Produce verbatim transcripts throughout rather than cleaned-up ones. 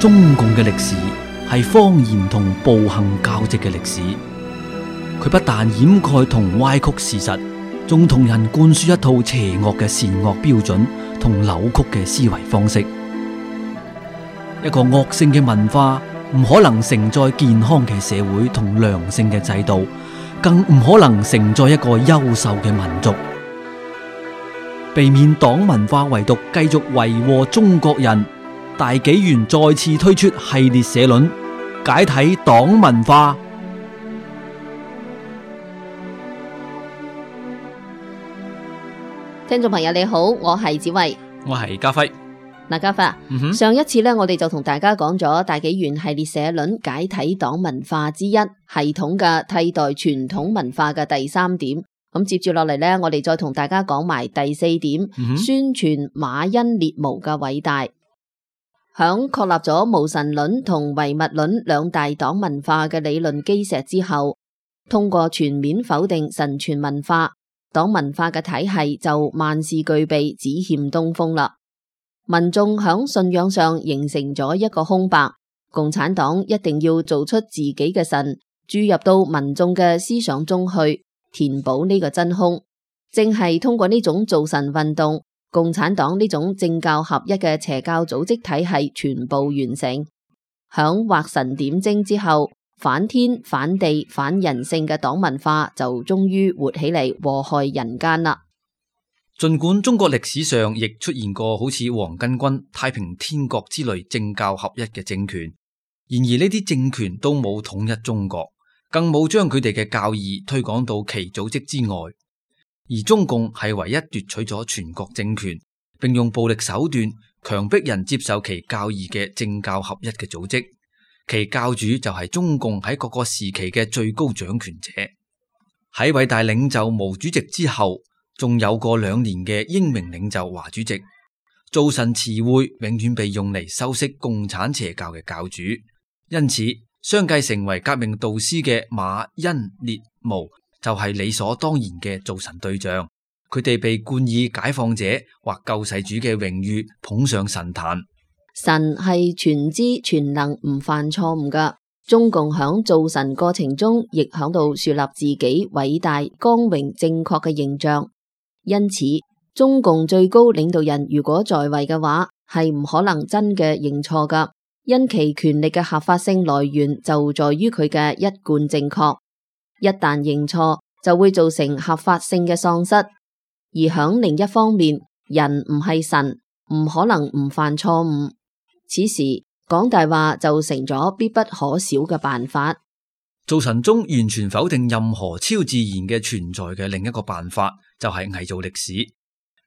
中共嘅歷史係謊言同暴行交織嘅歷史，佢不但掩蓋同歪曲事實，仲同人灌輸一套邪惡嘅善惡標準同扭曲嘅思維方式。一個惡性嘅文化唔可能承載健康嘅社會同良性嘅制度，更唔可能承載一個優秀嘅民族。避免黨文化遺毒繼續為禍中國人，大紀元再次推出系列社論，解體黨文化。聽眾朋友你好，我係子慧，我係家輝。嗱，家輝、嗯、哼上一次咧，我哋就同大家講咗大紀元系列社論解體黨文化之一，系統嘅替代傳統文化嘅第三點。咁接住落嚟咧，我哋再同大家講埋第四點，嗯、哼宣傳馬恩列毛嘅偉大。響確立咗無神論同唯物論兩大黨文化嘅理論基石之後，通過全面否定神傳文化，黨文化嘅體系就萬事俱備，只欠東風啦。民眾響信仰上形成咗一個空白，共產黨一定要做出自己嘅神，注入到民眾嘅思想中去，填補呢個真空。正係通過呢種造神運動，共產黨呢種政教合一嘅邪教組織體系全部完成。響畫神點睛之後，反天反地反人性嘅黨文化就終於活起嚟，禍害人間啦。盡管中國歷史上亦出現過好似黃巾軍、太平天國之類政教合一嘅政權，然而呢啲政權都冇統一中國，更冇將佢哋嘅教義推廣到其組織之外。而中共係唯一奪取咗全國政權，並用暴力手段強迫人接受其教義嘅政教合一嘅組織，其教主就係中共喺各個時期嘅最高掌權者。喺偉大領袖毛主席之後，仲有過兩年嘅英明領袖華主席。造神詞彙永遠被用嚟修飾共產邪教嘅教主，因此相繼成為革命導師嘅馬恩列毛就係理所當然嘅造神對象。佢哋被冠以解放者或救世主嘅榮譽捧上神壇。神係全知全能，唔犯錯誤噶。中共響造神過程中，亦響度樹立自己偉大、光榮、正確嘅形象。因此，中共最高領導人如果在位嘅話，係唔可能真嘅認錯噶，因其權力嘅合法性來源就在於佢嘅一貫正確。一旦認錯，就會造成合法性嘅喪失。而響另一方面，人唔係神，唔可能唔犯錯誤。此時講大話就成咗必不可少嘅辦法。造神中完全否定任何超自然嘅存在嘅另一個辦法，就係偽造歷史。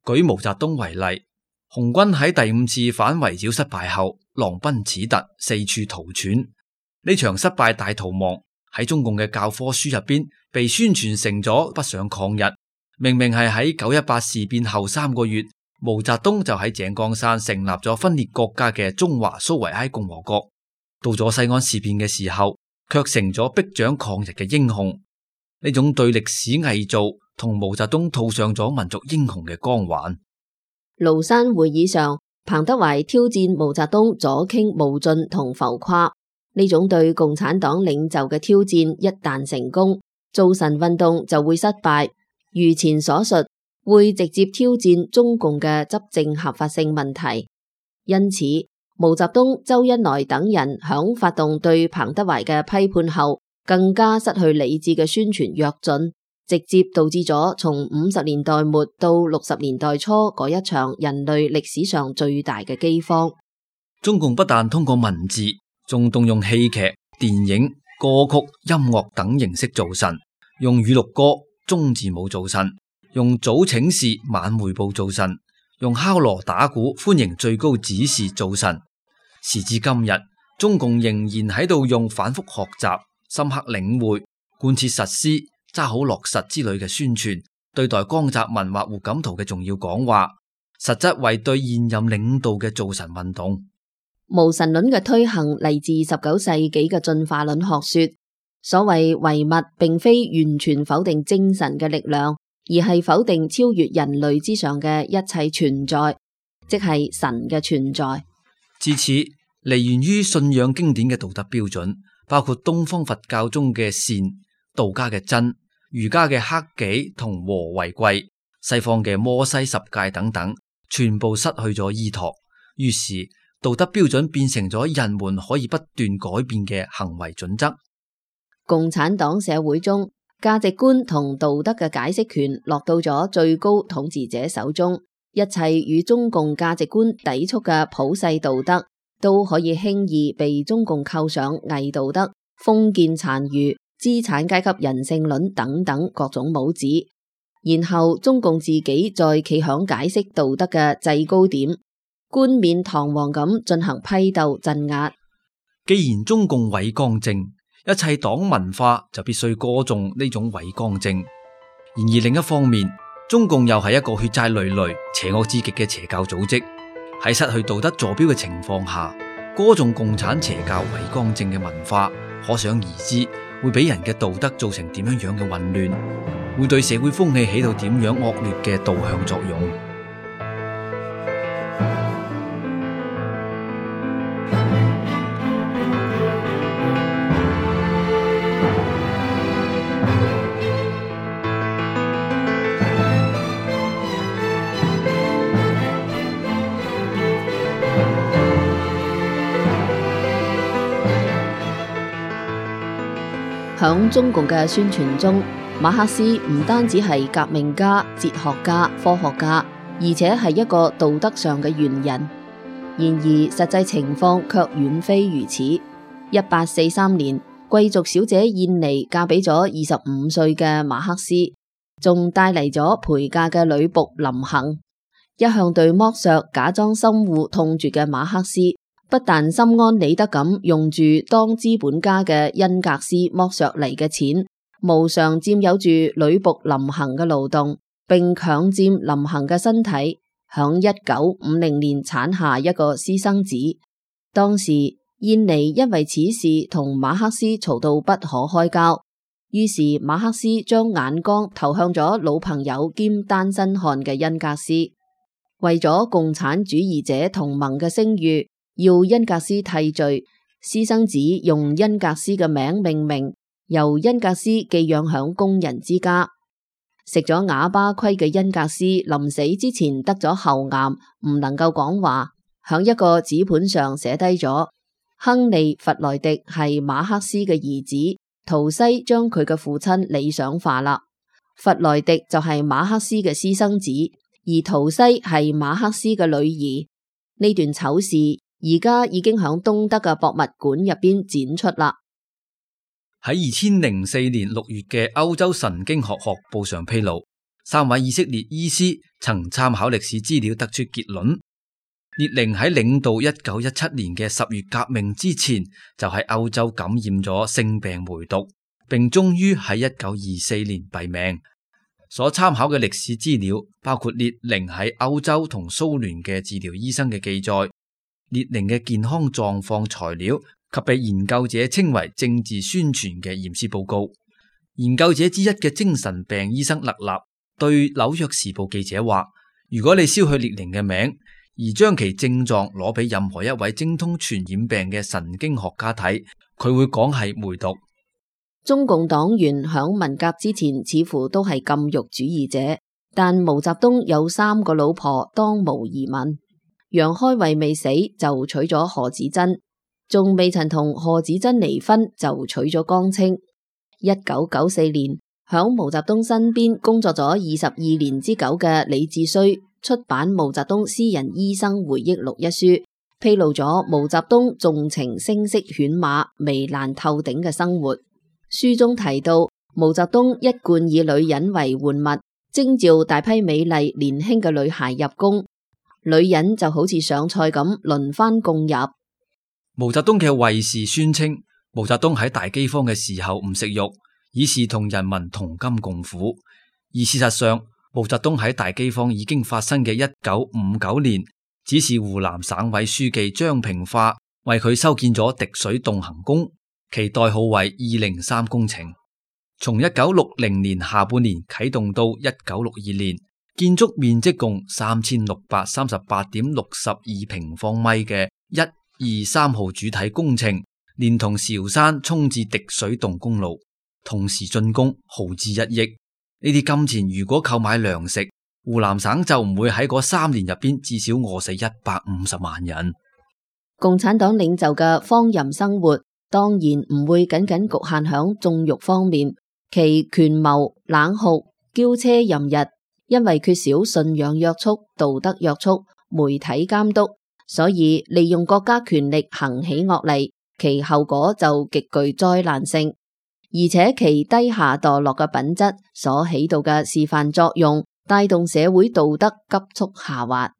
舉毛澤東為例，紅軍喺第五次反圍剿失敗後，狼奔矢突，四處逃竄。呢場失敗大逃亡喺中共嘅教科書入邊被宣傳成咗北上抗日。明明係喺九一八事變後三個月，毛澤東就喺井岡山成立咗分裂國家嘅中華蘇維埃共和國。到咗西安事變嘅時候，卻成咗逼長抗日嘅英雄。呢種對歷史偽造，同毛澤東套上咗民族英雄嘅光環。廬山會議上，彭德懷挑戰毛澤東左傾冒進同浮誇。呢種對共產黨領袖嘅挑戰一旦成功，造神運動就會失敗。如前所述，會直接挑戰中共嘅執政合法性問題。因此，毛澤東、周恩來等人響發動對彭德懷嘅批判後，更加失去理智嘅宣傳躍進，直接導致咗從五十年代末到六十年代初嗰一場人類歷史上最大嘅饑荒。中共不但通過文字，仲動用戲劇、電影、歌曲、音樂等形式造神，用語錄歌、中字舞造神，用早請示晚匯報造神，用敲鑼打鼓歡迎最高指示造神。時至今日，中共仍然喺度用反覆學習、深刻領會、貫徹實施、揸好落實之類嘅宣傳，對待江澤民或胡錦濤嘅重要講話，實質為對現任領導嘅造神運動。無神論嘅推行嚟自十九世紀嘅進化論學說。所謂唯物並非完全否定精神嘅力量，而係否定超越人類之上嘅一切存在，即係神嘅存在。至此，嚟源於信仰經典嘅道德標準，包括東方佛教中嘅善、道家嘅真、儒家嘅克己同和為貴、西方嘅摩西十戒等等，全部失去咗依託。於是道德標準變成咗人們可以不斷改變嘅行為準則。共產黨社會中，價值觀同道德嘅解釋權落到咗最高統治者手中，一切與中共價值觀抵觸嘅普世道德都可以輕易被中共扣上偽道德、封建殘餘、資產階級人性論等等各種帽子，然後中共自己再企響解釋道德嘅制高點，冠冕堂皇咁進行批鬥鎮壓。既然中共偉光正，一切黨文化就必須歌頌呢種偉光正。然而另一方面，中共又係一個血債累累、邪惡至極嘅邪教組織。喺失去道德坐標嘅情況下，歌頌共產邪教偉光正嘅文化，可想而知會俾人嘅道德造成點樣樣嘅混亂，會對社會風氣起到點樣惡劣嘅導向作用。響中共嘅宣傳中，馬克思唔單止係革命家、哲學家、科學家，而且係一個道德上嘅完人。然而實際情況卻遠非如此。一八四三年，貴族小姐燕妮嫁俾咗二十五歲嘅馬克思，仲帶嚟咗陪嫁嘅女僕林行。一向對剝削假裝深惡痛絕嘅馬克思，不但心安理得咁用住當資本家嘅恩格斯剝削嚟嘅錢，無償佔有住女僕林行嘅勞動，並強佔林行嘅身體，響一九五零年產下一個私生子。當時燕妮因為此事同馬克思嘈到不可開交，於是馬克思將眼光投向咗老朋友兼單身漢嘅恩格斯，為咗共產主義者同盟嘅聲譽，要恩格斯替罪，私生子用恩格斯嘅名命名，由恩格斯寄養響工人之家。食咗啞巴虧嘅恩格斯臨死之前得咗喉癌，唔能夠講話，響一個紙盤上寫低咗亨利·弗萊迪係馬克思嘅兒子。圖西將佢嘅父親理想化啦，弗萊迪就係馬克思嘅私生子，而圖西係馬克思嘅女兒。呢段醜事而家已經響東德嘅博物館入邊展出啦。喺二千零四年六月嘅歐洲神經學學報上披露，三位以色列醫師曾參考歷史資料得出結論，列寧喺領導一九一七年嘅十月革命之前，就喺歐洲感染咗性病梅毒，並終於喺一九二四年斃命。所參考嘅歷史資料包括列寧喺歐洲同蘇聯嘅治療醫生嘅記載，列寧嘅健康狀況材料及被研究者稱為政治宣傳嘅驗屍報告。研究者之一嘅精神病醫生勒納對紐約時報記者話，如果你燒去列寧嘅名，而將其症狀攞俾任何一位精通傳染病嘅神經學家睇，佢會講係梅毒。中共黨員響文革之前似乎都係禁欲主義者，但毛澤東有三個老婆當無疑問。楊開慧未死就娶咗何子珍，仲未曾同何子珍離婚就娶咗江青。一九九四年，響毛澤東身邊工作咗二十二年之久嘅李志綏出版《毛澤東私人醫生回憶錄》一書，披露咗毛澤東縱情聲色犬馬、糜爛透頂嘅生活。書中提到，毛澤東一貫以女人為玩物，徵召大批美麗年輕嘅女孩入宮，女人就好似上菜咁輪番供入。毛澤東嘅衛士宣稱，毛澤東喺大饑荒嘅時候唔食肉，以示同人民同甘共苦。而事實上，毛澤東喺大饑荒已經發生嘅一九五九年，指示湖南省委書記張平化為佢修建咗滴水洞行宮，其代號為二零三工程。從一九六零年下半年啟動到一九六二年，建築面積共三千六百三十八點六十二平方米嘅一、二三號主體工程，連同韶山涌至滴水洞公路，同時竣工，耗資一億。呢啲金錢如果購買糧食，湖南省就唔會喺嗰三年入邊至少餓死一百五十萬人。共產黨領袖嘅荒淫生活，當然唔會僅僅局限響縱慾方面，其權謀、冷酷、驕奢淫逸，因為缺少信仰約束、道德約束、媒體監督，所以利用國家權力行起惡嚟，其後果就極具災難性，而且其低下墮落嘅品質所起到嘅示範作用，帶動社會道德急速下滑。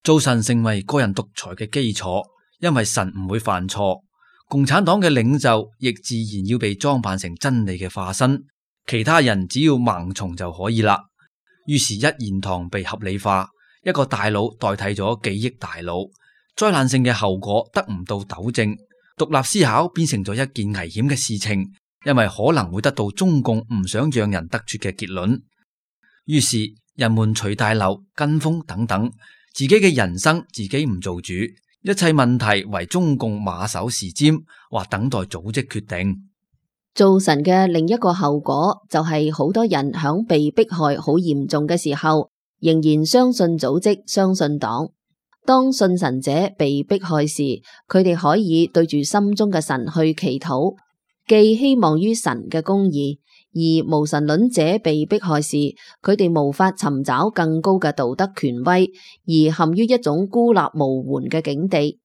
做神成為個人獨裁嘅基礎，因為神唔會犯錯。共產黨嘅領袖亦自然要被裝扮成真理嘅化身，其他人只要盲從就可以啦。於是，一言堂被合理化，一個大佬代替咗幾億大佬，災難性嘅後果得唔到糾正，獨立思考變成咗一件危險嘅事情，因為可能會得到中共唔想讓人得出嘅結論。於是，人們隨大流、跟風等等，自己嘅人生自己唔做主，一切問題為中共馬首是瞻，或等待組織決定。造神嘅另一個後果就係好多人響被迫害好嚴重嘅時候，仍然相信組織、相信黨。當信神者被迫害時，佢哋可以對住心中嘅神去祈禱，寄希望於神嘅公義；而無神論者被迫害時，佢哋無法尋找更高嘅道德權威，而陷於一種孤立無援嘅境地。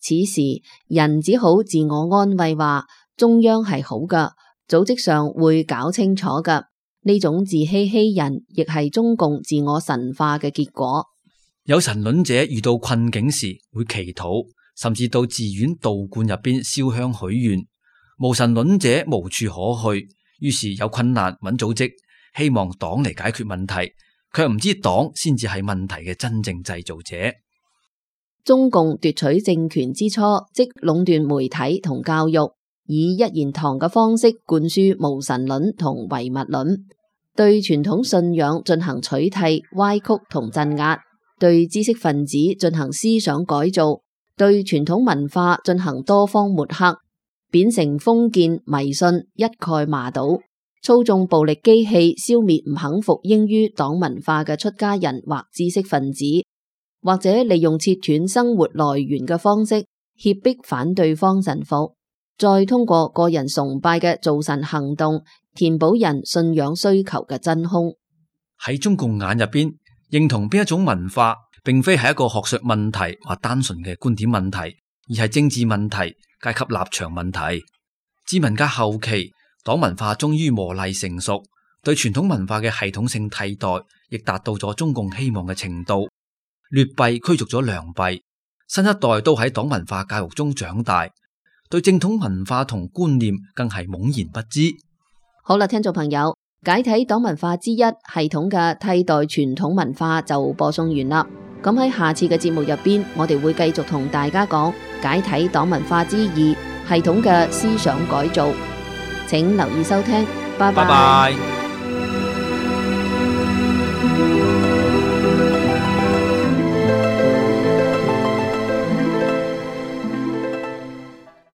此時，人只好自我安慰話，中央係好噶，組織上會搞清楚噶。呢種自欺欺人，亦係中共自我神化嘅結果。有神論者遇到困境時會祈禱，甚至到寺院道觀入邊燒香許願。無神論者無處可去，於是有困難揾組織，希望黨嚟解決問題，卻唔知黨先至係問題嘅真正製造者。中共奪取政權之初，即壟斷媒體同教育，以一言堂嘅方式灌輸無神論同唯物論，對傳統信仰進行取締、歪曲同鎮壓，對知識分子進行思想改造，對傳統文化進行多方抹黑，貶成封建迷信，一概麻倒，操縱暴力機器消滅唔肯服膺於黨文化嘅出家人或知識分子，或者利用切斷生活來源嘅方式脅迫反對方神服，再通過個人崇拜嘅造神行動填補人信仰需求嘅真空。喺中共眼入邊，認同邊一種文化並非係一個學術問題或單純嘅觀點問題，而係政治問題、階級立場問題。至文革後期，黨文化終於磨礪成熟，對傳統文化嘅系統性替代亦達到咗中共希望嘅程度。劣幣驅逐咗良幣，新一代都喺黨文化教育中長大，對正統文化同觀念更係懵然不知。好啦，聽眾朋友，解體黨文化之一系統嘅替代傳統文化就播送完啦。咁喺下次嘅節目入邊，我哋會繼續同大家講解體黨文化之二系統嘅思想改造，請留意收聽。拜拜。拜拜。